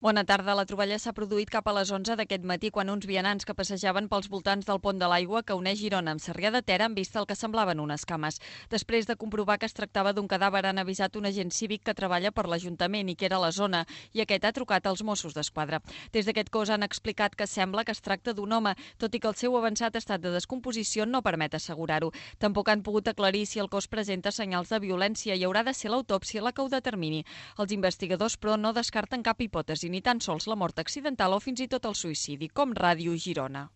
Bona tarda. La troballa s'ha produït cap a les 11 d'aquest matí quan uns vianants que passejaven pels voltants del pont de l'Aigua que uneix Girona amb Sarrià de Ter han vist el que semblaven unes cames. Després de comprovar que es tractava d'un cadàver han avisat un agent cívic que treballa per l'Ajuntament i que era a la zona i aquest ha trucat als Mossos d'Esquadra. Des d'aquest cos han explicat que sembla que es tracta d'un home, tot i que el seu avançat estat de descomposició no permet assegurar-ho. Tampoc han pogut aclarir si el cos presenta senyals de violència i haurà de ser l'autòpsia la que ho determini. Els investigadors, però, no descarten cap hipòtesi, ni tan sols la mort accidental o fins i tot el suïcidi, com Ràdio Girona.